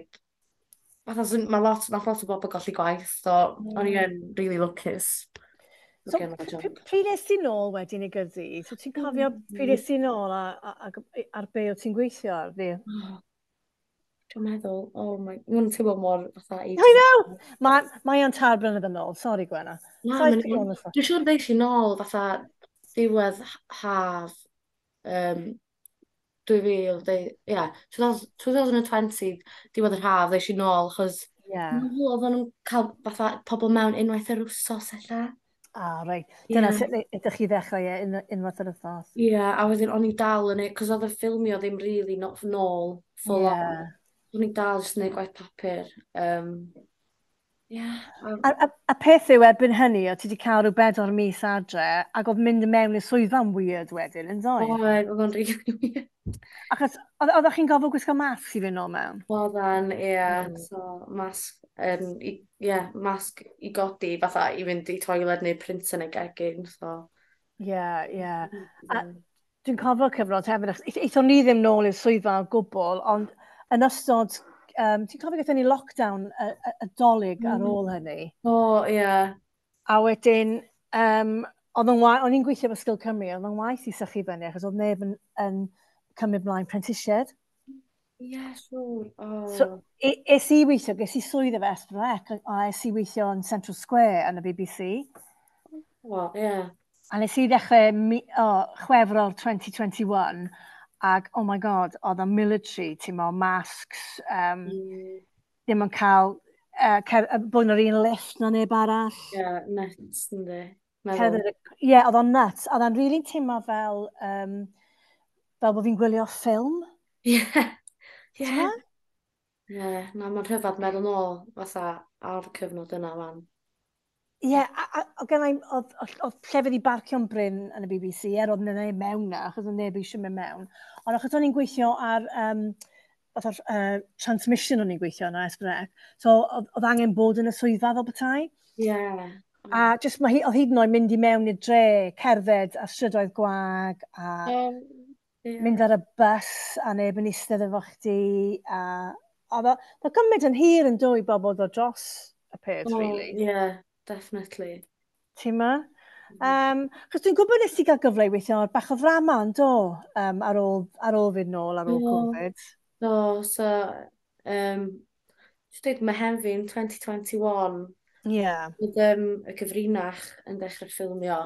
Speaker 2: Fatha, mae lot, nath lot o bobl golli gwaith, so mm. o'n i yn really lwcus.
Speaker 1: So, pryd es ti nôl wedyn i Gaerdydd? So, ti'n cofio mm. pryd es ti nôl a, a, a, ar be o ti'n gweithio ar fi?
Speaker 2: Oh, dwi'n meddwl, oh my, mae'n teimlo mor fatha.
Speaker 1: I know! Mae mae o'n tair blynedd yn ôl, sorry Gwenna.
Speaker 2: Na, dwi'n siŵr ddeis i nôl fatha diwedd haf um, dwy fil, ie, twenty twenty, diwedd yr haf, ddeis i nôl, achos
Speaker 1: yeah.
Speaker 2: oedden nhw'n cael fatha pobl mewn unwaith yr wsos ella.
Speaker 1: Ah, reit. Dyna yeah. sut ydych chi ddechrau e, un, unwaith yr wythnos.
Speaker 2: Ie, yeah, a wedyn o'n i dal yn ei, cos oedd y ffilmio ddim really not nôl, full yeah. on. O'n i dal jyst yn neud gwaith papur. Um, yeah.
Speaker 1: A, a, a peth yw erbyn hynny, o ti wedi cael rhyw bedwar mis adre, ac oedd mynd i mewn i'r swyddfa'n weird wedyn, yn
Speaker 2: doedd? Oedd, oedd o'n really weird.
Speaker 1: Achos, oeddech chi'n gofod gwisgo masg i fynd nôl mewn?
Speaker 2: Oedden, ie. Yeah. Mm. So, masg, um, i, yeah, masg i godi, fatha i fynd i toilet neu printer neu gegin, so.
Speaker 1: Ie, ie. A dwi'n cofio cyfnod hefyd, eithon ni ddim nôl i'r swyddfa o gwbl, ond yn ystod, um, ti'n cofio gaethon ni lockdown y, y, y Dolig mm. ar ôl hynny?
Speaker 2: O, oh, ie. Yeah.
Speaker 1: A wedyn, um, oedd yn o'n i'n gweithio efo Sgil Cymru, oedd yn waith i sychu fyny, achos oedd neb yn, yn cymryd mlaen prentisiaid.
Speaker 2: Ie, yeah, siŵr. Oh.
Speaker 1: So, es i weithio, ges i swydd efo S pedwar C, a es i weithio yn Central Square yn y B B C.
Speaker 2: Oh, ie. Yeah.
Speaker 1: A nes i ddechrau mi, oh, Chwefror dwy fil dau ddeg un, ac, oh my God, oedd y military, ti'n mo, masks, um, mm. ddim yn cael, uh, cer, bod yn yr un lift na neb arall.
Speaker 2: Ie, yeah, nuts, yndi.
Speaker 1: Ie, yeah, oedd o'n nuts. Oedd o'n really teimlo fel, um, fel bod fi'n gwylio ffilm.
Speaker 2: Ie. Ie. Ie, na, mae'n rhyfedd meddwl nôl fatha ar y cyfnod yna wan.
Speaker 1: Ie, yeah, a, a, a gennau, oedd, oedd llefydd i barcio'n brin yn y B B C, er oedd neb mewn na, achos oedd neb eisiau mynd mewn. Ond achos o'n i'n gweithio ar, um, fatha'r uh, transmission o'n i'n gweithio yna, S pedwar C, so oedd, oedd angen bod yn y swyddfa fel petai.
Speaker 2: Ie. Yeah.
Speaker 1: A just mae hi, oedd hyd yn oed mynd i mewn i'r dre, cerdded a strydoedd gwag, a
Speaker 2: um, yeah.
Speaker 1: mynd ar y bus a neb yn eistedd efo chdi. A oedd o, oedd gymryd yn hir yn dwy bobl ddod dros y peth, oh, really.
Speaker 2: Yeah, definitely.
Speaker 1: Ti'n ma? Um, chos dwi'n gwybod nes i gael gyfle i weithio ar bach o ddrama yn do, um, ar ôl, ar ôl fynd nôl, ar ôl
Speaker 2: Do.
Speaker 1: Covid.
Speaker 2: Do, so, um, dwi'n dweud Mehefin dwy fil dau ddeg un,
Speaker 1: Yeah.
Speaker 2: oedd um, Y Cyfrinach yn dechrau ffilmio.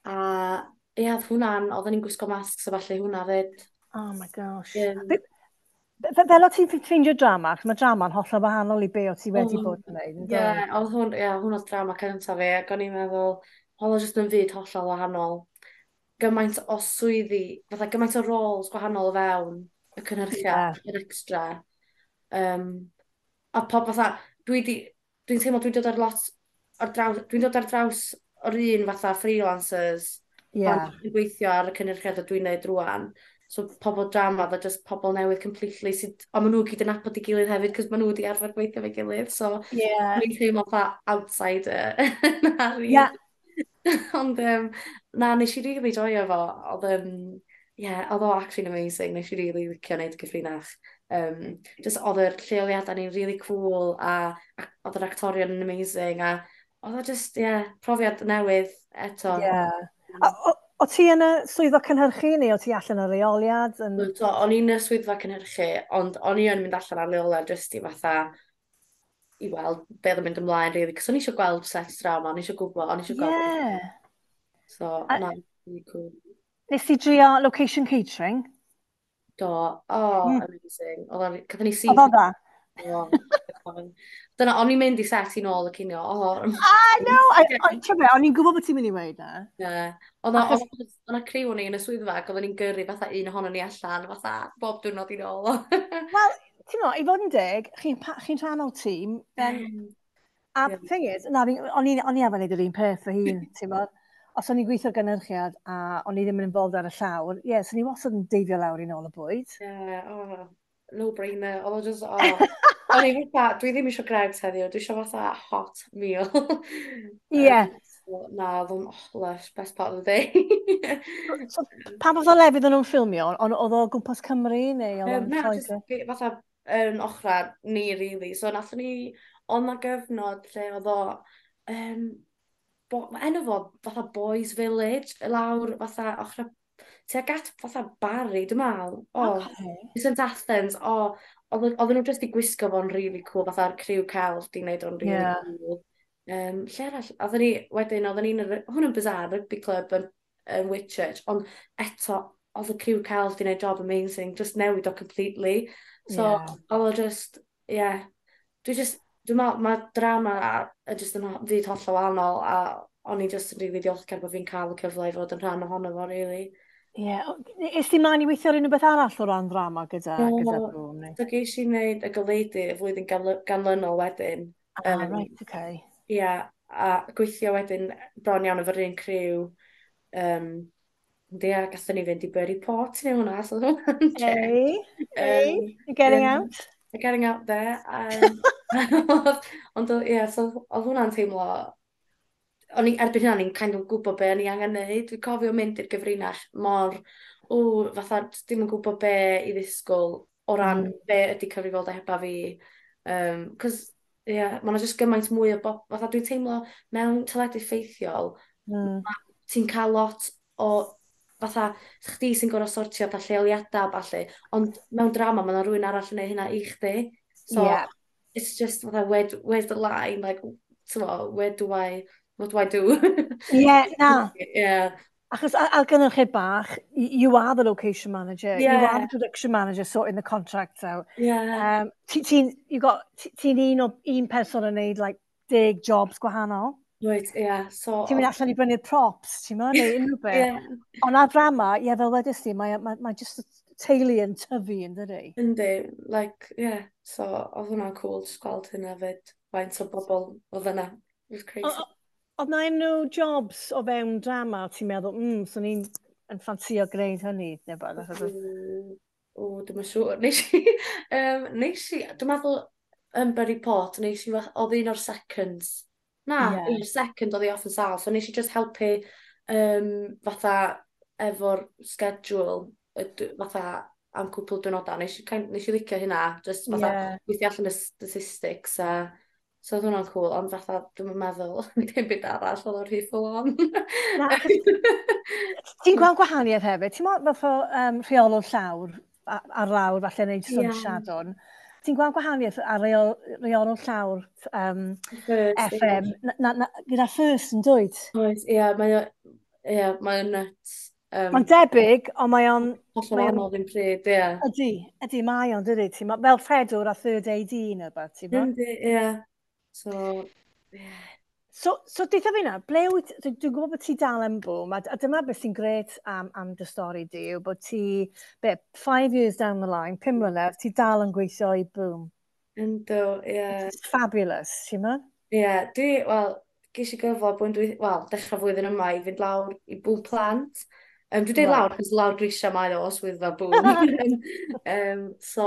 Speaker 2: A ie, oedd hwnna'n, oedden ni'n gwisgo masks a falle hwnna fyd.
Speaker 1: Oh my gosh.
Speaker 2: Yym.
Speaker 1: Be- fe- Fel o ti'n ffeindio drama, achos mae drama'n hollol wahanol i be o ti wedi
Speaker 2: O,
Speaker 1: bod yn gwneud, yn
Speaker 2: Ie,
Speaker 1: doedd?
Speaker 2: oedd hwn, ie, hwn oedd drama cyntaf fi, ac o'n i'n meddwl, oedd o jyst yn fyd hollol wahanol. Gymaint o swyddi, fatha gymaint o roles gwahanol o fewn y cynhyrchiad,
Speaker 1: Ie.
Speaker 2: yr extra. Um, a pob fatha, dwi di, dwi'n teimlo dwi'n dod ar lot, ar draws, dwi'n dod ar draws o'r un fatha freelancers
Speaker 1: Ie.
Speaker 2: pan dwi'n gweithio ar y cynhyrchiad a dwi'n neud rwan. So pobl drama, oedd o just pobl newydd completely, sydd, ond maen nhw gyd yn nabod ei gilydd hefyd, cos maen nhw wedi arfer gweithio efo'i gilydd, so
Speaker 1: yeah.
Speaker 2: Dwi'n teimlo fatha outsider. Na, really.
Speaker 1: Yeah.
Speaker 2: Ond um, na, nes i really joio fo. Oedd, um, yeah, oedd o actually amazing. Nes i really licio wneud y Gyfrinach. Um, just oedd yr lleoliadau ni'n really cool a, a oedd yr actorion yn amazing a oedd o just, yeah, profiad newydd eto.
Speaker 1: Yeah. A, o, o ti yn y swyddfa cynhyrchu neu o ti allan ar leoliad? Yn...
Speaker 2: So, o'n i'n y swyddfa cynhyrchu, ond o'n i yn mynd allan ar leoliad just i fatha i weld be oedd yn mynd ymlaen, really. Cos o'n i eisiau gweld set drama, o'n i eisiau gwybod, o'n i eisiau gweld.
Speaker 1: Yeah.
Speaker 2: So,
Speaker 1: A-
Speaker 2: na, really cool.
Speaker 1: Nes ti drio location catering?
Speaker 2: Do, oh,
Speaker 1: Mm.
Speaker 2: amazing. Oedd o'n, gathon ni syth.
Speaker 1: Oedd o'n dda?
Speaker 2: Oh, dyna, o'n i'n mynd i set i nôl y cinio. Oh,
Speaker 1: Ah, no! Ti'n be, o'n i'n gwybod bod ti'n mynd i weud na.
Speaker 2: Yeah. Oedd o-
Speaker 1: Achos-
Speaker 2: oedd oedd 'na criw o'n i yn y swyddfa ac oedden ni'n gyrru fatha un ohonon ni allan, fatha bob diwrnod i nôl.
Speaker 1: Wel, ti'n mo, i fod yn deg, chi'n chi rhan o'r tîm, then, a
Speaker 2: Ie.
Speaker 1: thing is, na, fi- o'n i o'n i arfer wneud yr un peth fy hun, ti'n mo. Os o'n i'n gweithio ar gynhyrchiad a o'n i ddim yn involved ar y llawr, ie, yeah, so ni wastad yn deifio lawr i nôl y bwyd.
Speaker 2: Yeah, oh, no brainer. Oedd o just, oh. O'n i fatha, dwi ddim eisiau Greggs heddiw, dwi eisiau fatha hot meal.
Speaker 1: Ie.
Speaker 2: Um, so, na, oedd o'n, oh, lush, best part of the day.
Speaker 1: So, pa fath o lefydd o'n nhw'n ffilmio? Ond oedd o gwmpas Cymru neu oedd
Speaker 2: Um,
Speaker 1: o'n
Speaker 2: na,
Speaker 1: Lloegr?
Speaker 2: just fi- fatha yn ochra ni, really. So, nathon ni, oedd na gyfnod lle oedd o, um, bo, ma' enw fo fatha Boys Village, lawr fatha ochra, tuag at fatha Barry, dwi'n meddwl. O,
Speaker 1: Okay.
Speaker 2: St Athens, o, oedd oedden nhw just i gwisgo fo'n really cool, fatha'r criw celf di wneud o'n really
Speaker 1: Yeah.
Speaker 2: cool. Um, lle arall, oedden ni, wedyn, oedden ni'n, yr- hwn yn bizarre, rugby club yn, yn Whitchurch, ond eto, oedd y criw celf di wneud job amazing, just newid o completely. So,
Speaker 1: Yeah.
Speaker 2: oedd o just, yeah, dwi just, dwi'n meddwl, mae drama a- yn just yn ho- fyd hollol wahanol, a o'n i just yn really diolchgar bod fi'n cael y cyfle i fod yn rhan ohono fo, really.
Speaker 1: Ie. Is ti mlaen i weithio ar unrhyw beth arall o ran drama gyda,
Speaker 2: Do.
Speaker 1: gyda Boom? Neu?
Speaker 2: So ges i wneud y Goleudy y flwyddyn ganly- ganlynol wedyn.
Speaker 1: Ah,
Speaker 2: Yym,
Speaker 1: right, okay.
Speaker 2: Ia, a gweithio wedyn bron iawn efo'r un criw. Um, ia, gathon ni fynd i Burry Port i neud hwnna, so oedd hwnna'n check.
Speaker 1: Hey, hey,
Speaker 2: Um,
Speaker 1: you're getting
Speaker 2: yeah.
Speaker 1: out?
Speaker 2: Getting out there. Um, ond oedd- ie, so oedd hwnna'n teimlo... O'n i, erbyn hynna, o'n i'n kind of gwybod be o'n i angen neud. Dwi'n cofio mynd i'r Gyfrinach mor, o, fatha, dim yn gwybod be i ddisgwyl o ran
Speaker 1: Mm.
Speaker 2: be ydy cyfrifoldebau fi. Um, Cos, ie, yeah, mae 'na jyst gymaint mwy o bob... Fatha, dwi'n teimlo mewn teledu ffeithiol,
Speaker 1: Mm.
Speaker 2: ti'n cael lot o fatha, chdi sy'n gorfod sortio fatha lleoliadau a ballu, ond mewn drama mae yna rhywun arall yn neud hynna i chdi. So,
Speaker 1: Yeah.
Speaker 2: it's just fatha, where, where's the line? Like, t'mo, where do I, what do I do?
Speaker 1: Yeah, na.
Speaker 2: Yeah.
Speaker 1: Achos ar, ar gynhyrchiad bach, y- you are the location manager, you are
Speaker 2: Yeah.
Speaker 1: the production manager sorting the contracts out.
Speaker 2: Yeah.
Speaker 1: Um, ti- ti'n you got, ti- ti'n un o un person yn neud like deg jobs gwahanol.
Speaker 2: Right, yeah. So,
Speaker 1: Ti'n mynd allan i brynu'r props, ti'n mynd, neu unrhyw beth.
Speaker 2: yeah.
Speaker 1: Ond ar drama, ie, fel wedys ti, mae, mae, mae just y teulu yn tyfu yn dydi?
Speaker 2: Yndi, like, yeah. So, oedd hwnna'n cool, just gweld hynna fyd. Faint o bobl oedd yna. It was crazy.
Speaker 1: O- o- Oedd na unrhyw jobs o fewn drama, ti'n meddwl, mm, swn i'n yn ffansio gwneud hynny, neu beth? Achos oedd-
Speaker 2: Mm, O, dwi'm yn siŵr. Nes i, um, nes i, dwi'n meddwl yn Burry Port, nes i, fath- oedd un o'r seconds. Na,
Speaker 1: Ie.
Speaker 2: un o'r second oedd hi off yn sâl, so nes i just helpu um, fatha efo'r schedule, y d- fatha am cwpl diwrnodau. Nes i, kind, nes i licio hynna, just fatha
Speaker 1: Ie.
Speaker 2: gweithio allan y statistics a so oedd hwnna'n cool, ond fatha dwi'm yn meddwl dim byd arall, oedd o'n rhy full on.
Speaker 1: Na, achos ti'n gweld gwahaniaeth hefyd. Ti'n meddwl fath o um, rheolwr llawr, a- ar lawr, falle wneud stwnt
Speaker 2: Ie.
Speaker 1: Siadwn. Ti'n gweld gwahaniaeth ar reol, reolwr llawr um,
Speaker 2: First,
Speaker 1: F M, na, na, na, gyda First yn dweud.
Speaker 2: Oes, ie, mae o, ie, mae o'n nuts. Um,
Speaker 1: Mae'n debyg, ond mae o'n...
Speaker 2: hollol
Speaker 1: mae o'n-
Speaker 2: wahanol ddim pryd, ie.
Speaker 1: Ydy, ydy, mae o'n, dydy. Ti'n mo- fel rhedwr a third A D neu beth, ti'n mo?
Speaker 2: Yndi, ie. So, ie.
Speaker 1: So, so deutha fi nawr, ble wyt, dwi- dwi'n gwybod bod ti dal yn Boom, a, a dyma beth sy'n gret am, am dy stori di, yw bod ti, be, five years down the line, pum mlynedd, ti dal yn gweithio i Boom.
Speaker 2: Yndw, ie.
Speaker 1: It's fabulous, ti'n mo?
Speaker 2: Ie, dwi, wel, ges i gyfle blwyddyn dwy, wel, dechrau flwyddyn yma i fynd lawr i Boom Plant. Um, dwi'n dweud
Speaker 1: Right.
Speaker 2: lawr, cos lawr grisiau mae o, swyddfa Boom. um, so,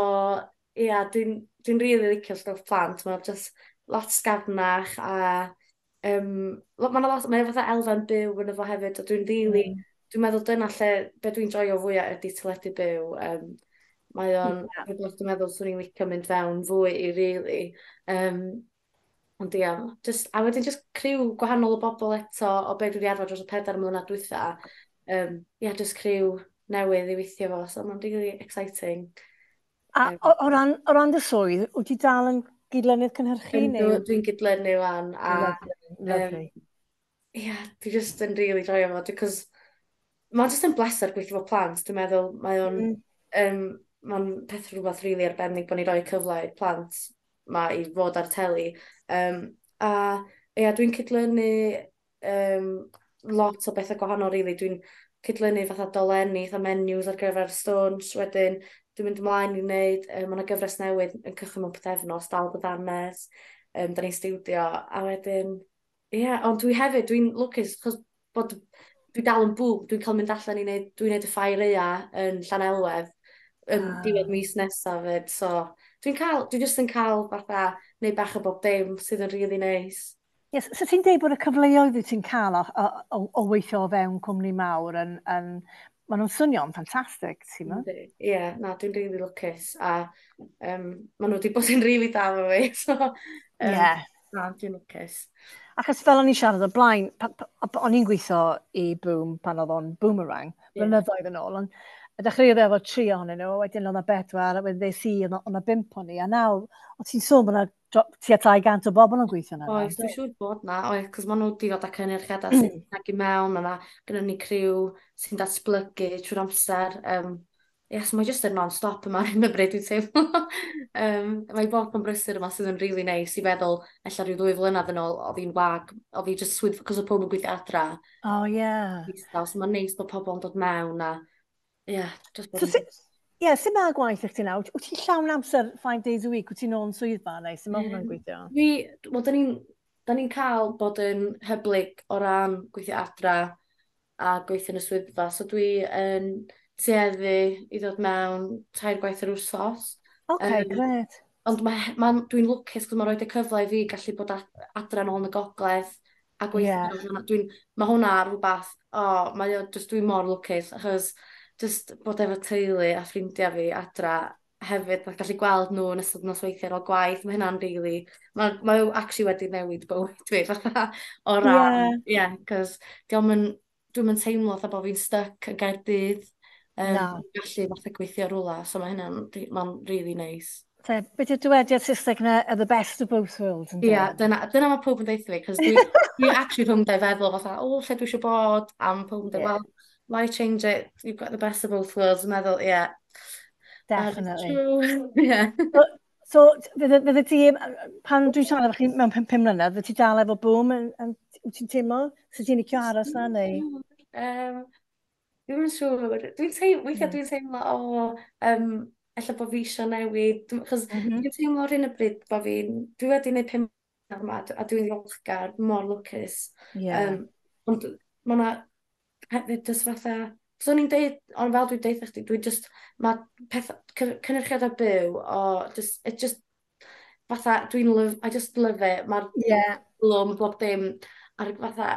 Speaker 2: ie, yeah, dwi'n dwi really licio stwff plant. Mae'n just lot sgafnach a um, lo, mae'n lot, mae'n fatha elfen byw yn efo hefyd, a dwi'n really,
Speaker 1: Mm.
Speaker 2: dwi'n meddwl dyna lle, be dwi'n joio fwyaf ydy teledu byw. Um, mae o'n
Speaker 1: Yeah.
Speaker 2: rhywbeth dwi'n meddwl swn i'n licio mynd fewn fwy i really. Um, ond ia, just, a wedyn just criw gwahanol o bobl eto o be dwi wedi arfer dros y pedair mlynedd dwytha. Um, ia, just criw newydd i weithio fo, so mae'n really exciting.
Speaker 1: A
Speaker 2: Um,
Speaker 1: o, o, ran, o ran dy swydd, wyt ti dal yn gydlynydd cynhyrchu
Speaker 2: Yndw,
Speaker 1: neu?
Speaker 2: dwi'n gydlynu wan, a
Speaker 1: Lovely,
Speaker 2: um,
Speaker 1: lovely.
Speaker 2: ia, dwi just yn really joio fo, because mae'n just yn bleser gweithio fo plant, dwi'n meddwl, mae o'n,
Speaker 1: Mm.
Speaker 2: um, mae'n peth rhywbeth really arbennig bod ni roi cyfle i'r plant ma i fod ar teli. Um, a ia, dwi'n cydlynu um, lot o bethau gwahanol, really. Dwi'n cydlynu fatha dolenni, fatha menus ar gyfer stwnsh, wedyn dwi'n mynd ymlaen i wneud, um, mae yna gyfres newydd yn cychwyn mewn pythefnos, Dal Dy Ddannedd, um, da ni'n stiwdio, a wedyn, ie, yeah, ond dwi hefyd, dwi'n lwcus, chos bod dwi dal yn Boom, dwi'n cael mynd allan i wneud, dwi'n wneud y ffair aeaf yn Llanelwedd, yn
Speaker 1: Ah.
Speaker 2: diwedd mis nesaf fyd, so dwi'n cael, dwi jyst yn cael fatha, neud bach o bob dim sydd yn really nice.
Speaker 1: Yes, so ti'n deud bod y cyfleoedd wyt ti'n cael o, o, o, o weithio o fewn cwmni mawr yn, yn maen nhw'n swnio'n ffantastig, ti'n meddwl?
Speaker 2: Yndi. Ie, yeah, na, dwi'n really lwcus, a um, maen nhw wedi bod yn really da efo fi, so um,
Speaker 1: Yeah.
Speaker 2: na, dwi'n lwcus.
Speaker 1: Achos fel o'n i'n siarad o blaen, pa, pa, o'n i'n gweithio i Boom pan oedd o'n Boomerang,
Speaker 2: Ie.
Speaker 1: blynyddoedd yn ôl, ond y dechreuodd efo tri ohonyn nhw, wedyn oedd 'na bedwar, a wedyn ddes i, oedd 'na bump o'n i, a nawr, o ti'n sôn bod 'na tua dau gant o bobl yn gweithio yna.
Speaker 2: Oes, dwi'n siŵr bod na, oes, cos maen nhw wedi dod â cynyrchiadau sy'n ag i mewn, mae 'na gynnon ni criw sy'n datblygu trwy'r amser. Um, yes, mae jyst yn non-stop yma ar hyn o bryd, dwi'n teimlo. um, mae bob yn brysur yma sydd yn really nice i feddwl, ella rhyw ddwy flynedd yn ôl, oedd hi'n wag, oedd hi just swydd, cos oedd pob yn gweithio adra.
Speaker 1: Oh, yeah.
Speaker 2: Distaw, so mae'n neis bod pobl yn dod mewn a, yeah, just bod
Speaker 1: So,
Speaker 2: yn
Speaker 1: si, ie, sut mae gwaith i chdi nawr? Wyt ti'n llawn amser five days a week? Wyt ti'n ôl yn swyddfa neu sut mae hwnna'n
Speaker 2: Yym,
Speaker 1: gweithio?
Speaker 2: Dwi, wel, da ni'n da ni'n cael bod yn hyblyg o ran gweithio adra a gweithio yn y swyddfa. So dwi yn tueddu i ddod mewn tair gwaith yr wsos.
Speaker 1: OK,
Speaker 2: Yym,
Speaker 1: gret.
Speaker 2: Ond mae, ma, dwi'n lwcus cos mae'n rhoi y cyfle i fi gallu bod adra nôl yn y gogledd a gweithio.
Speaker 1: Yeah.
Speaker 2: Dwi'n, mae hwnna rhywbeth, o, oh, mae o, just dwi'n mor lwcus, achos just bod efo teulu a ffrindiau fi adra hefyd, mae gallu gweld nhw yn ystod nosweithiau ar ôl gwaith, mae hynna'n really, mae, mae o actually wedi newid bywyd fi, fatha, o ran,
Speaker 1: Ie.
Speaker 2: ie, yeah, cos diolch yn, dwi'm yn teimlo fatha bod fi'n stuck yn Gaerdydd, um,
Speaker 1: Na.
Speaker 2: gallu fatha gweithio rwla, so mae hynna'n, mae'n really nice.
Speaker 1: Te, beth yw'r dywediad Saesneg na, "the best of both worlds", ynddo?
Speaker 2: Ie, yeah, dyna, dyna mae pob yn deutha fi, cos dwi, dwi actually rhwng dau feddwl fatha, o, lle dwi eisiau bod, a mae pob yn dweud,
Speaker 1: Yeah.
Speaker 2: "Well, why change it? You've got the best of both worlds." Yn meddwl, yeah, that is
Speaker 1: Definitely.
Speaker 2: true. Yeah.
Speaker 1: So, so fydde, fydde ti, pan dwi'n siarad efo chi mewn pum, pum mlynedd, fydde ti dal efo Boom, yn, yn, wyt ti'n teimlo? So ti'n licio aros na, neu?
Speaker 2: Um, Dwi'm yn siŵr. Dwi'n teimlo, weithiau
Speaker 1: Mm.
Speaker 2: dwi'n teimlo, o, um, ella bod fi eisiau newid. Achos
Speaker 1: Mm -hmm.
Speaker 2: dwi'n teimlo ar hyn o bryd bod fi'n, dwi wedi gwneud pum mlynedd yma a dwi'n ddiolchgar, mor lwcus.
Speaker 1: Yeah.
Speaker 2: Um, ond mae yna hefyd jyst fatha, so o'n i'n deud, ond fel dwi'n deud chdi, dwi just, mae peth, cynyrchiadau byw, o, just, it just, fatha, dwi'n love, I just love it. Mae'r
Speaker 1: Yeah.
Speaker 2: blwm, bob dim, a'r fatha,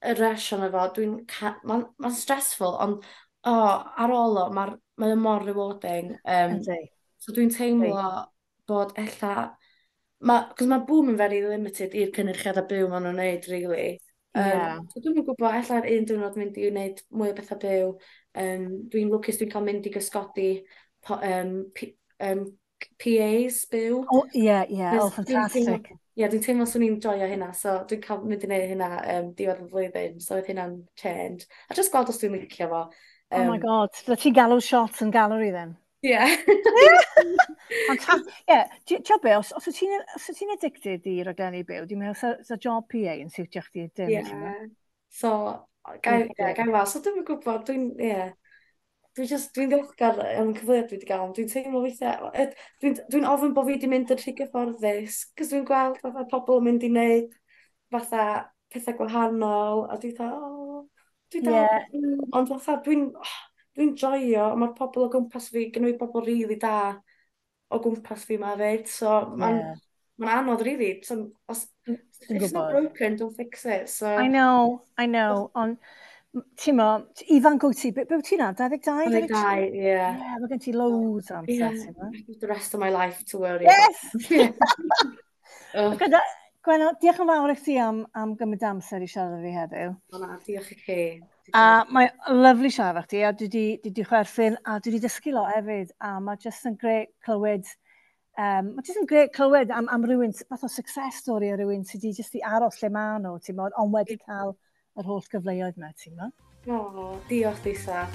Speaker 2: y rush ono fo, dwi'n, mae'n ma stressful, ond, o, ar ôl o, mae'r, mae o mor rewarding. Um,
Speaker 1: Yndi.
Speaker 2: So dwi'n teimlo bod ella, ma, cos mae Boom yn very limited i'r cynyrchiadau byw maen nhw'n neud, really. Um,
Speaker 1: Yeah.
Speaker 2: So dwi'm yn gwybod, ella'r un diwrnod mynd i wneud mwy o bethau byw. Um, dwi'n lwcus dwi'n cael mynd i gysgodi po, um, P, um, P As byw.
Speaker 1: Oh, yeah, yeah. Oh,
Speaker 2: Cos dwi'n teimlo-
Speaker 1: fantastic.
Speaker 2: Ie, dwi'n teimlo swn i'n joio hynna, so dwi'n cael mynd i wneud hynna um, diwedd y flwyddyn, so oedd hynna'n change. A just gweld os dwi'n licio fo.
Speaker 1: Oh my
Speaker 2: Um,
Speaker 1: God. Fydde ti'n galw shots yn gallery then?
Speaker 2: Yeah.
Speaker 1: Fantastic. Yeah, ti'n be, os, os wyt ti'n os wyt ti'n addicted i raglenni byw, dwi'n meddwl sa, sa job P A yn siwtio chdi dim,
Speaker 2: Ie.
Speaker 1: ti'n meddwl?
Speaker 2: So, gai,
Speaker 1: Ie.
Speaker 2: yeah, gai weld. So dwi'm yn gwybod, dwi'n, ie. Yeah. Dwi'n just, dwi'n ddiolchgar am y cyfleoedd dwi wedi gael, ond dwi'n teimlo weithiau, ed- dwi'n dwi ofyn bod fi wedi mynd yn rhy gyfforddus, cos dwi'n gweld fatha pobl yn mynd i wneud fatha pethau gwahanol, a dwi'n fatha, oh, Dwi dal, yeah. Ond fatha, dwi'n oh, dwi'n joio, mae'r pobl o gwmpas fi, gynnu fi bobl rili da o gwmpas fi ma fyd, so mae'n yeah. ma anodd, really. So, os, if it's not broken, don't fix it. So,
Speaker 1: I know, I know, ond ti'n mo, ifanc wyt ti, be, be wyt ti na, dau ddeg dau?
Speaker 2: dau ddeg dau, ie.
Speaker 1: Yeah, mae gen ti loads o amser, yeah. ti'n
Speaker 2: mo? The rest of my life to worry
Speaker 1: yes! about. Oh. Gyda, Gwenno, diolch yn fawr i chdi am, am gymryd amser i siarad fi heddiw.
Speaker 2: O na, diolch i chi.
Speaker 1: A mae lyfli siarad efo chdi, a dwi di, dwi di chwerthin, a dwi di dysgu lot hefyd, a mae jyst yn grêt clywed, um, mae jyst yn grêt clywed am, am rhywun, fath o success story o rhywun sydd wedi jyst i aros lle maen nhw, ti'n modd, ond wedi cael yr holl gyfleoedd yma, ti'n modd.
Speaker 2: O, diolch, Lisa.